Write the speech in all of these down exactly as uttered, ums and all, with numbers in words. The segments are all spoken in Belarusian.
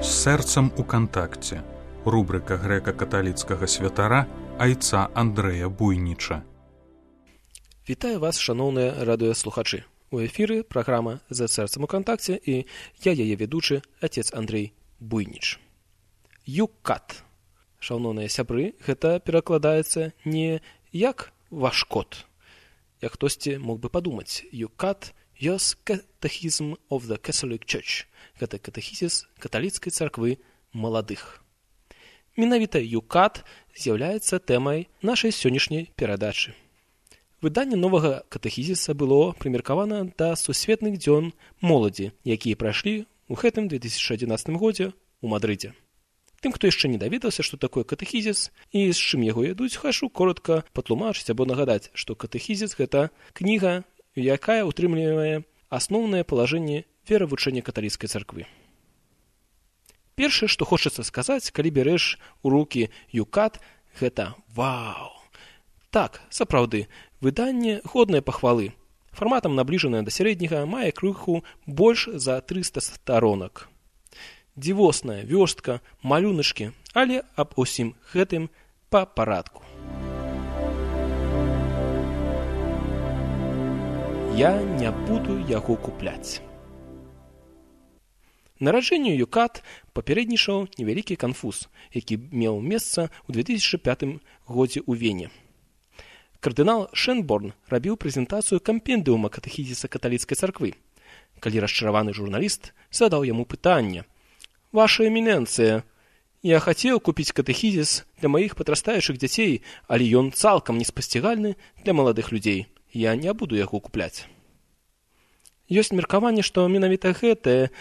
З сэрцам у кантакце. Рубрика грэка-каталіцкага святара айца Андрэя Буйніча. Вітаю вас, шаноўныя радыёслухачы. У эфіры праграма «За сэрцам у кантакце» і я яе ведучы, отец Андрей Буйніч. Юкат. Шаноўныя сябры, гэта перакладаецца не як ваш кот. Як хтосьці мог бы падумаць. Юкат – Yos Catechism of the Catholic Church. Гэта катэхізіс каталіцкай царквы маладых. Менавіта Юкат з'яўляецца тэмай нашай сённяшняй перадачы. Выданне новага катэхізіса было прымеркавана да сусветных дзён моладзі, якія прайшлі ў гэтым две тысячы адзінаццатым годзе ў Мадрыдзе. Тым, хто яшчэ не даведаўся, што такое катэхізіс і з чым яго ядуць, хашу коротка патлумачыць або нагадаць, што катэхізіс – гэта кніга, якая ўтрымлівае асноўнае палажэнне веравучэння каталіцкай царквы. Першае, што хочацца сказаць, калі бярэш у рукі Юкат, гэта вау! Так, сапраўды, выданне годнае пахвалы. Фарматам набліжанае да сярэдняга, мае крыху больш за трыста старонак. Дзівосная вёрстка, малюначкі, але аб усім гэтым па парадку. Я не буду яго купляць. Нараджэнню Юкат папярэднічаў невялікі канфуз, які меў месца ў две тысячы пятым годзе ў Вене. Кардынал Шенборн рабіў прэзентацыю кампендыума катэхізіса каталіцкай царквы. Калі расчараваны журналіст задаў яму пытанне: «Ваша эмінэнцыя, я хацеў купіць катэхізіс для маіх падрастаючых дзяцей, але ён цалкам неспасцігальны для маладых людзей. Я не буду яго купляць». Ёсць меркаванне, што менавіта гэтая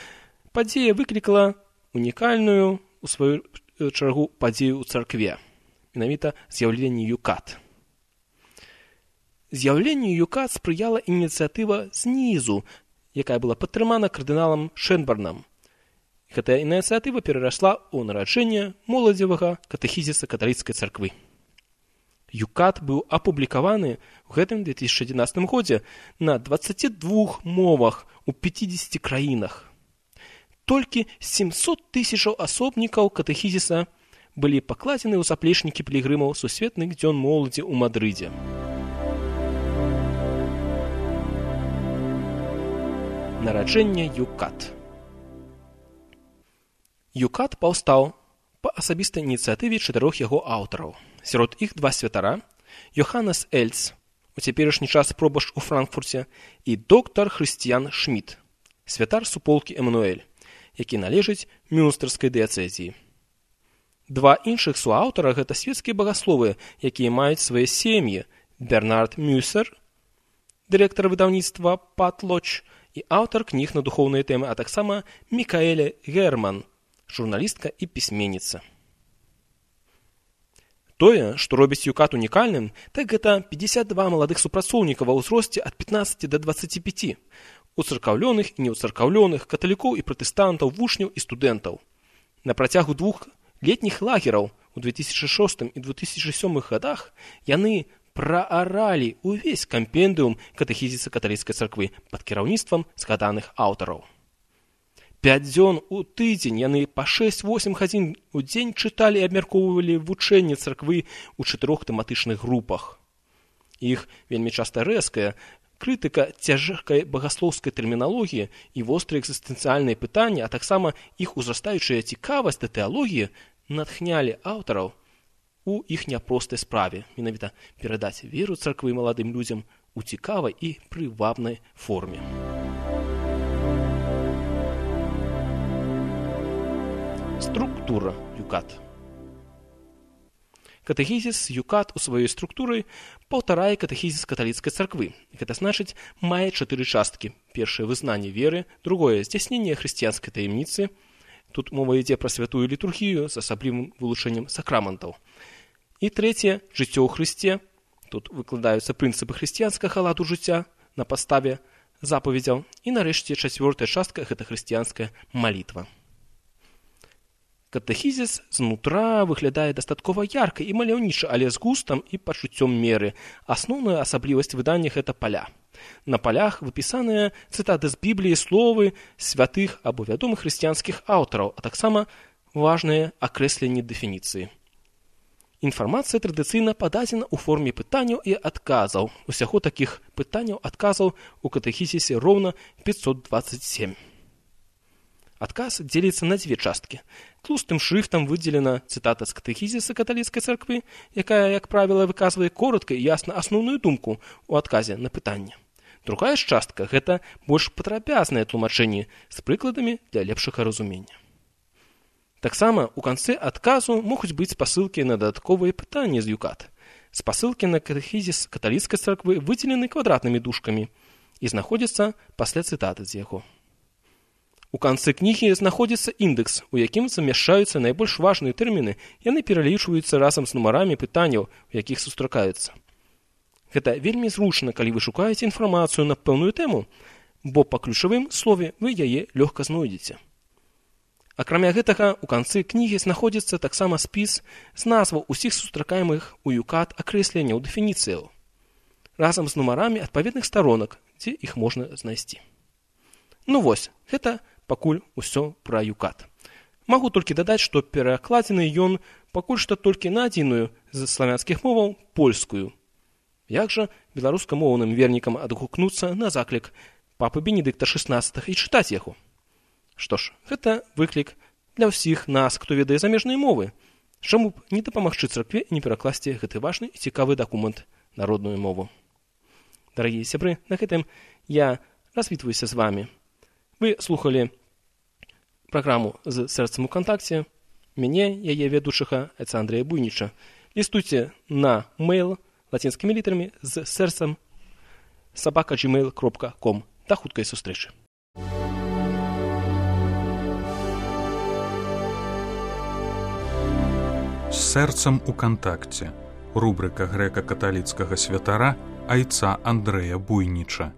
падзея выклікала унікальную, у сваю чаргу, падзею ў царкве. Менавіта з'яўленне Юкат. З'яўленню Юкат спрыяла ініцыятыва знізу, якая была падтрымана кардыналам Шенборнам. Гэтая ініцыятыва перарасла ў нараджэнне моладзевага катэхізіса каталіцкай царквы. Юкат быў апублікаваны ў гэтым две тысячы адзінаццатым годзе на дваццаці двух мовах у пяцідзесяці краінах. Толькі сямсот тысячаў асобнікаў катэхізіса былі пакладзены ў заплечнікі пілігрымаў сусветных дзён моладзі ў Мадрыдзе. Нараджэнне Юкат. Юкат паўстаў па асабістай ініцыятыве чатырох яго аўтараў. Сярод іх два святара – Йоханнес Эльц, у цяперашні час пробашч у Франкфурце, і доктар Хрысціян Шмідт, святар суполкі Эмануэль, які належыць мюнстэрскай дыяцэзіі. Два іншых суаўтара – гэта свецкія багасловы, якія маюць свае сем'і: Бернард Мюсер, дырэктар выдаўніцтва Патлоч, і аўтар кніг на духоўныя тэмы, а таксама Мікаэля Герман, журналістка і пісьменніца. Тое, што робіць Юкат унікальным, так гэта пятьдесят два маладых супрацоўніка ва ўзросце ад пятнаццаці да дваццаці пяці, уцаркаўлёных і неўцаркаўлёных, каталікоў і пратэстантаў, вучняў і студэнтаў. На працягу двух летніх лагераў у две тысячы шостым і две тысячы сёмым годах яны прааралі ўвесь кампендыум катэхізіса каталіцкай царквы пад кіраўніцтвам згаданых аўтараў. Пяць дзён у тыдзень яны па шэсць-восем гадзін у дзень чыталі і абмяркоўвалі вучэнне царквы ў чатырох тэматычных групах. Іх вельмі часта рэзкая крытыка цяжкай багаслоўскай тэрміналогіі і вострыя экзістэнцыяльныя пытанні, а таксама іх узрастаючая цікавасць да тэалогіі натхнялі аўтараў у іх няпростай справе, менавіта перадаць веру царквы маладым людзям у цікавай і прывабнай форме. Структура Юкат. Катэхізіс Юкат у сваёй структуры паўтарае катэхізіс каталіцкай царквы. Гэта значыць, мае чатыры часткі. Першае – вызнанне веры, другое – здзяйсненне хрысціянскай таямніцы. Тут мова ідзе пра святую літургію з асаблівым вылучэннем сакраментаў. І трэцяе – жыццё ў Хрысце. Тут выкладаюцца прынцыпы хрысціянскага ладу жыцця на падставе запаведзяў. І нарэшце чацвёртая частка – гэта хрысціянская малітва. Катэхізіс знутра выглядае дастаткова ярка і маляўніча, але з густам і пачуццём меры. Асноўная асаблівасць выдання – гэта паля. На палях выпісаныя цытаты з Бібліі, словы святых або вядомых хрысціянскіх аўтараў, а таксама важныя акрэсленні дэфініцыі. Інфармацыя традыцыйна пададзена ў форме пытанняў і адказаў. Усяго такіх пытанняў-адказаў у катэхізісе роўна пятьсот двадцать семь. Адказ дзеліцца на дзве часткі. Тлустым шрыфтам выдзелена цытата з катэхізіса каталіцкай царквы, якая, як правіла, выказвае коротка і ясна асноўную думку ў адказе на пытанне. Другая ж частка – гэта больш падрабязнае тлумачэнне з прыкладамі для лепшага разумення. Таксама ў канцы адказу могуць быць спасылкі на дадатковыя пытанні з ЮКАТ. Спасылкі на катэхізіс каталіцкай царквы выдзелены квадратнымі дужкамі і знаходзяцца пасля цытаты з яго. У канцы кнігі знаходзіцца індэкс, у якім замяшчаюцца найбольш важныя тэрміны, яны пералічваюцца разам з нумарамі пытанняў, у якіх сустракаюцца. Гэта вельмі зручна, калі вы шукаеце інфармацыю на пэўную тэму, бо па ключавым слове вы яе лёгка знойдзеце. Акрамя гэтага, у канцы кнігі знаходзіцца таксама спіс з назваў усіх сустракаемых у ЮКАТ акрэсленняў дэфініцыяў, разам з нумарамі адпаведных старонак, дзе іх можна знайсці. Ну вось, гэта пакуль усё пра ЮКАТ. Магу толькі дадаць, што перакладзены ён пакуль што толькі на адзіную з славянскіх моваў польскую. Як жа беларускамоўным вернікам адгукнуцца на заклік папы Бенедыкта шаснаццатага і чытаць яго? Што ж, гэта выклік для ўсіх нас, хто ведае замежныя мовы. Чаму б не дапамагчы царкве і не перакласці гэты важны і цікавы дакумент на родную мову? Дарагія сябры, на гэтым я развітваюся з вамі. Вы слухалі праграму з сэрцам у кантакце. Мяне, яе вядучага, отца Андрэя Буйніча. Лістуйце на мэйл лацінскімі літарамі з сэрцам сабака джимейл кропка ком. Да хуткай сустрэчы. З сэрцам у кантакце. Рубрыка грэка-каталіцкага святара айца Андрэя Буйніча.